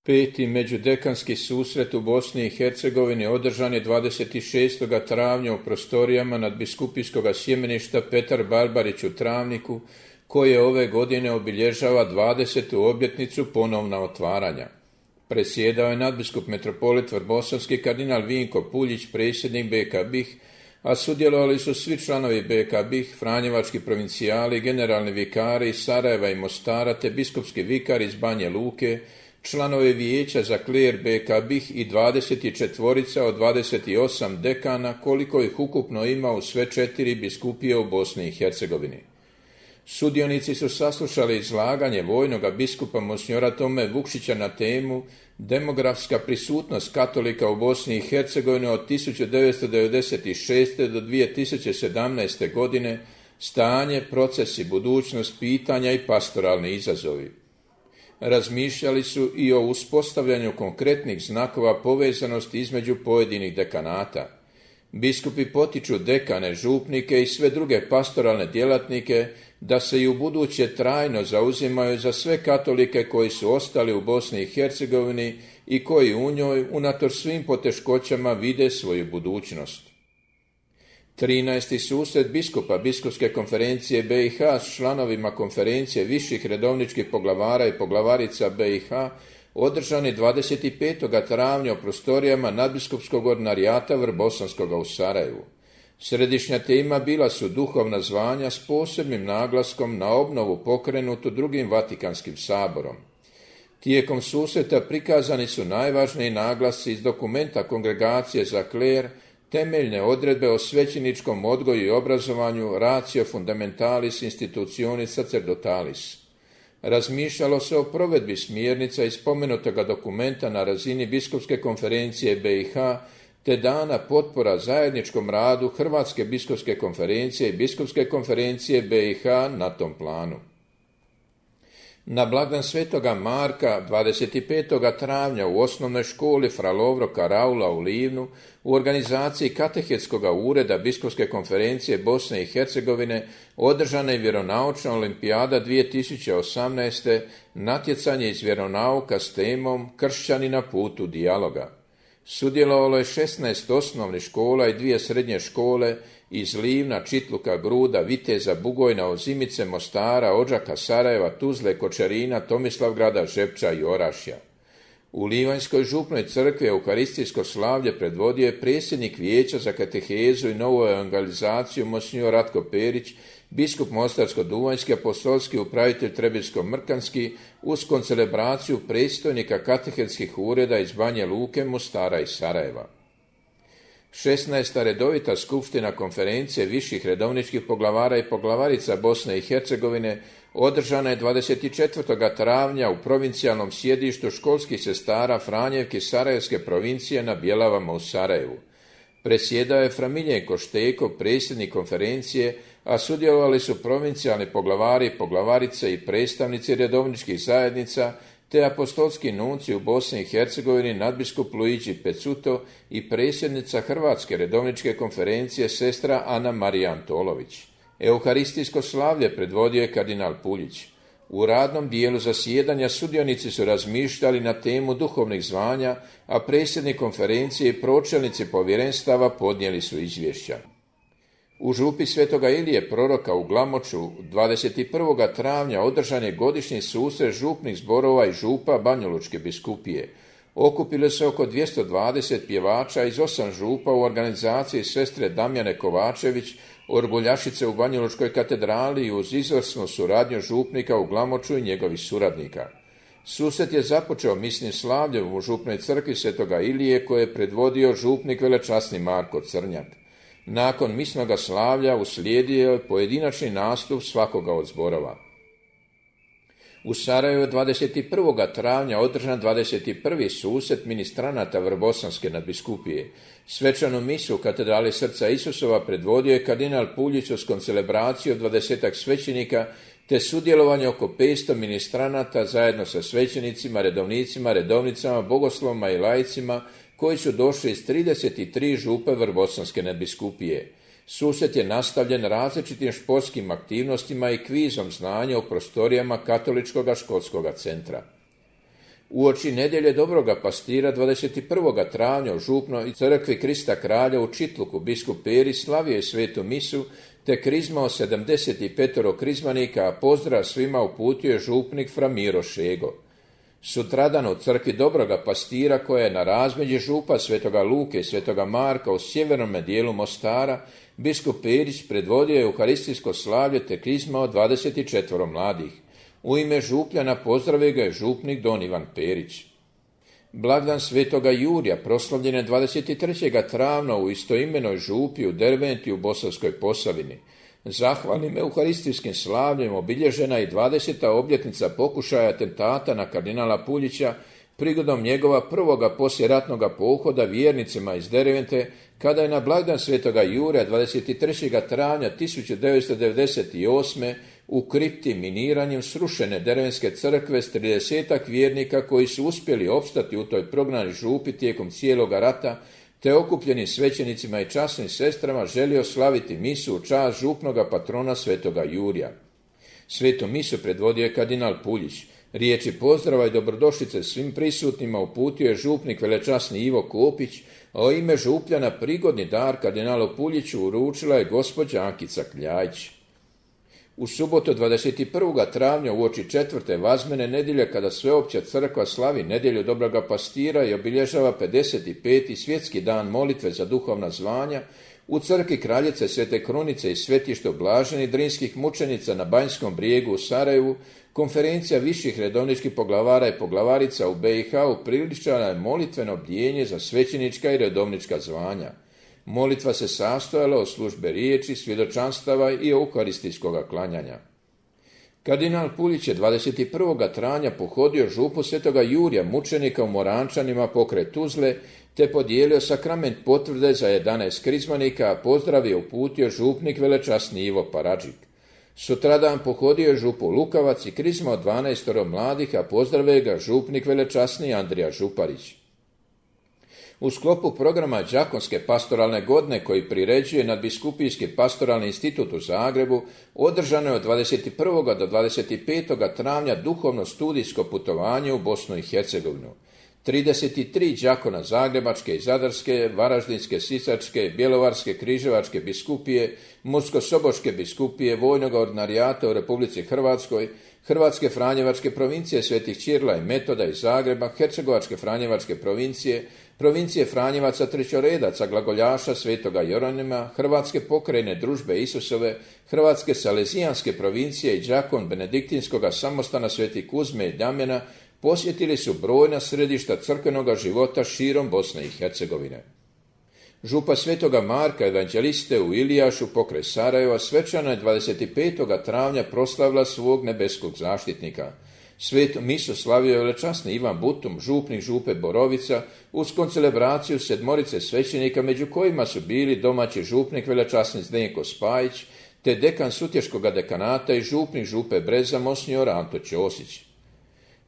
Peti međudekanski susret u Bosni i Hercegovini održan je 26. travnja u prostorijama nadbiskupijskog sjemeništa Petar Barbarić u Travniku, koje ove godine obilježava 20. obljetnicu ponovna otvaranja. Presjedao je nadbiskup metropolit Vrbosanski kardinal Vinko Puljić, predsjednik BK BiH, a sudjelovali su svi članovi BK BiH, franjevački provincijali, generalni vikari iz Sarajeva i Mostara te biskupski vikar iz Banje Luke, članovi vijeća za kler BK BiH i 24 od 28 dekana, koliko ih ukupno ima u sve 4 biskupije u Bosni i Hercegovini. Sudionici su saslušali izlaganje vojnoga biskupa monsignora Tome Vukšića na temu demografska prisutnost katolika u Bosni i Hercegovini od 1996. do 2017. godine, stanje, procesi, budućnost, pitanja i pastoralni izazovi. Razmišljali su i o uspostavljanju konkretnih znakova povezanosti između pojedinih dekanata. Biskupi potiču dekane, župnike i sve druge pastoralne djelatnike da se i ubuduće trajno zauzimaju za sve katolike koji su ostali u Bosni i Hercegovini i koji u njoj, unatoč svim poteškoćama, vide svoju budućnost. 13. susret biskupa Biskupske konferencije BiH s članovima konferencije viših redovničkih poglavara i poglavarica BiH održan je 25. travnja u prostorijama nadbiskupskog ordinarijata Vrbosanskoga u Sarajevu. Središnja tema bila su duhovna zvanja s posebnim naglaskom na obnovu pokrenutu drugim Vatikanskim saborom. Tijekom susreta prikazani su najvažniji naglasci iz dokumenta Kongregacije za kler, temeljne odredbe o svećeničkom odgoju i obrazovanju, ratio fundamentalis institutionis sacerdotalis. Razmišljalo se o provedbi smjernica iz spomenutoga dokumenta na razini Biskupske konferencije BiH, te dana potpora zajedničkom radu Hrvatske biskupske konferencije i Biskupske konferencije BiH na tom planu. Na blagdan Svetoga Marka 25. travnja u osnovnoj školi Fra Lovro Karaula u Livnu u organizaciji Katehetskog ureda Biskupske konferencije Bosne i Hercegovine održana je vjeronaučna olimpijada 2018. natjecanje iz vjeronauka s temom Kršćani na putu dijaloga. Sudjelovalo je 16 osnovnih škola i 2 srednje škole iz Livna, Čitluka, Gruda, Viteza, Bugojna, Ozimice, Mostara, Odžaka, Sarajeva, Tuzle, Kočarina, Tomislavgrada, Žepča i Orašja. U Livanjskoj župnoj crkvi euharistijsko slavlje predvodio je predsjednik vijeća za katehezu i novu evangelizaciju monsignor Ratko Perić, biskup Mostarsko-duvanjski, apostolski upravitelj Trebinsko-mrkanski uz koncelebraciju predstojnika katehetskih ureda iz Banje Luke, Mostara i Sarajeva. 16. redovita skupština konferencije viših redovničkih poglavara i poglavarica Bosne i Hercegovine održana je 24. travnja u provincijalnom sjedištu školskih sestara Franjevke Sarajevske provincije na Bjelavama u Sarajevu. Presjedao je Fra Miljenko Šteko, predsjednik konferencije, a sudjelovali su provincijalni poglavari, poglavarice i predstavnici redovničkih zajednica, te apostolski nunci u Bosni i Hercegovini nadbiskup Luigi Pecuto i predsjednica Hrvatske redovničke konferencije sestra Ana Marija Antolović. Euharistijsko slavlje predvodio je kardinal Puljić. U radnom dijelu zasjedanja sudionici su razmišljali na temu duhovnih zvanja, a predsjednik konferencije i pročelnici povjerenstava podnijeli su izvješća. U župi Svetoga Ilije proroka u Glamoču 21. travnja održan je godišnji susret župnih zborova i župa Banjalučke biskupije. Okupilo se oko 220 pjevača iz 8 župa u organizaciji sestre Damjane Kovačević, orguljašice u Banjalučkoj katedrali i uz izvrsnu suradnju župnika u Glamoču i njegovih suradnika. Susret je započeo misnim slavljem u župnoj crkvi Svetoga Ilije koje je predvodio župnik velečasni Marko Crnjak. Nakon misnoga slavlja uslijedio je pojedinačni nastup svakoga od zborova. U Sarajevu 21. travnja održan 21. susret ministranata Vrbosanske nadbiskupije. Svečanu misu u katedrali Srca Isusova predvodio je kardinal Puljić uz koncelebraciju od 20 svećenika te sudjelovanje oko 500 ministranata zajedno sa svećenicima, redovnicima, redovnicama, bogoslovima i laicima koji su došli iz 33 župe Vrbosanske nadbiskupije. Susret je nastavljen različitim športskim aktivnostima i kvizom znanja u prostorijama Katoličkog školskog centra. Uoči nedjelje Dobroga pastira 21. travnja u župnoj crkvi Krista kralja u Čitluku biskup Perić slavio je svetu misu te krizmao 75 krizmanika, a pozdrav svima uputio je župnik fra Miro Šego. Sutradan u crkvi Dobroga pastira koja je na razmeđi župa Svetoga Luke i Svetoga Marka u sjevernome dijelu Mostara, biskup Perić predvodio je euharistijsko slavlje te krizmao 24 mladih. U ime župljana pozdravio ga je župnik don Ivan Perić. Blagdan Svetoga Jurija proslavljen je 23. travnja u istoimenoj župi u Derventi u Bosanskoj Posavini. Zahvalnim euharistijskim slavljem obilježena je 20. obljetnica pokušaja atentata na kardinala Puljića prigodom njegova prvoga poslijeratnoga pohoda vjernicima iz Dervente, kada je na blagdan Svetoga Jurija 23. travnja 1998. u kripti miniranjem srušene Dervenske crkve s 30 vjernika koji su uspjeli opstati u toj prognanoj župi tijekom cijeloga rata, te okupljenim svećenicima i časnim sestrama želio slaviti misu u čast župnoga patrona Svetoga Jurija. Svetu misu predvodio je kardinal Puljić. Riječi pozdrava i dobrodošlice svim prisutnima uputio je župnik velečasni Ivo Kopić, a o ime župljana prigodni dar kardinalu Puljiću uručila je gospođa Ankica Kljajić. U subotu 21. travnja uoči 4. vazmene nedjelje, kada sveopća crkva slavi nedjelju Dobroga pastira i obilježava 55. svjetski dan molitve za duhovna zvanja, u crkvi Kraljice Svete Krunice i Svetište Blaženih Drinskih mučenica na Banjskom brijegu u Sarajevu, konferencija viših redovničkih poglavara i poglavarica u BiH upriličila je molitveno bdijenje za svećenička i redovnička zvanja. Molitva se sastojala od službe riječi, svjedočanstava i euharistijskoga klanjanja. Kardinal Puljić je 21. travnja pohodio župu Svetoga Jurija mučenika u Morančanima pokraj Tuzle, te podijelio sakrament potvrde za 11 krizmanika, a pozdrav je uputio župnik velečasni Ivo Paradžik. Sutradan pohodio je župu Lukavac i krizmao 12 mladih, a pozdravio ga župnik velečasni Andrija Župarić. U sklopu programa Đakonske pastoralne godine koji priređuje Nadbiskupijski pastoralni institut u Zagrebu, održano je od 21. do 25. travnja duhovno studijsko putovanje u Bosnu i Hercegovinu. 33 đakona Zagrebačke i Zadarske, Varaždinske, Sisačke, Bjelovarske, Križevačke biskupije, Mursko-Soboške biskupije, Vojnog ordinarijata u Republici Hrvatskoj, Hrvatske Franjevačke provincije Svetih Ćirila i Metoda iz Zagreba, Hercegovačke Franjevačke provincije, provincije Franjevaca trećoredaca glagoljaša Svetoga Jeronima, Hrvatske pokrajine Družbe Isusove, Hrvatske Salezijanske provincije i đakon Benediktinskoga samostana Svetih Kuzme i Damjana posjetili su brojna središta crkvenoga života širom Bosne i Hercegovine. Župa Svetoga Marka evanđeliste u Ilijašu pokraj Sarajeva svečano je 25. travnja proslavila svog nebeskog zaštitnika. Svetu misu slavio je velečasni Ivan Butum, župnik župe Borovica, uz koncelebraciju 7 svećenika, među kojima su bili domaći župnik velečasni Zdenko Spajić, te dekan Sutješkoga dekanata i župnik župe Breza Monsnjor Anto Ćosić.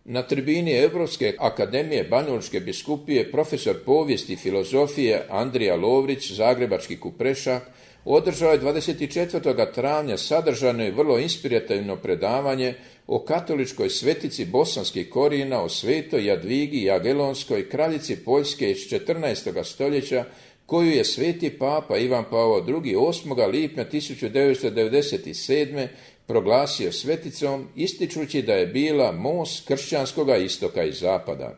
Na tribini Europske akademije Banjalučke biskupije profesor povijesti i filozofije Andrija Lovrić, zagrebački kuprešak, održao je 24. travnja sadržajno i vrlo inspirativno predavanje o katoličkoj svetici bosanskih korijena, o svetoj Jadvigi Jagelonskoj, kraljici Poljske iz 14. stoljeća, koju je sveti papa Ivan Pavao II. 8. lipnja 1997. proglasio sveticom, ističući da je bila most kršćanskoga istoka i zapada.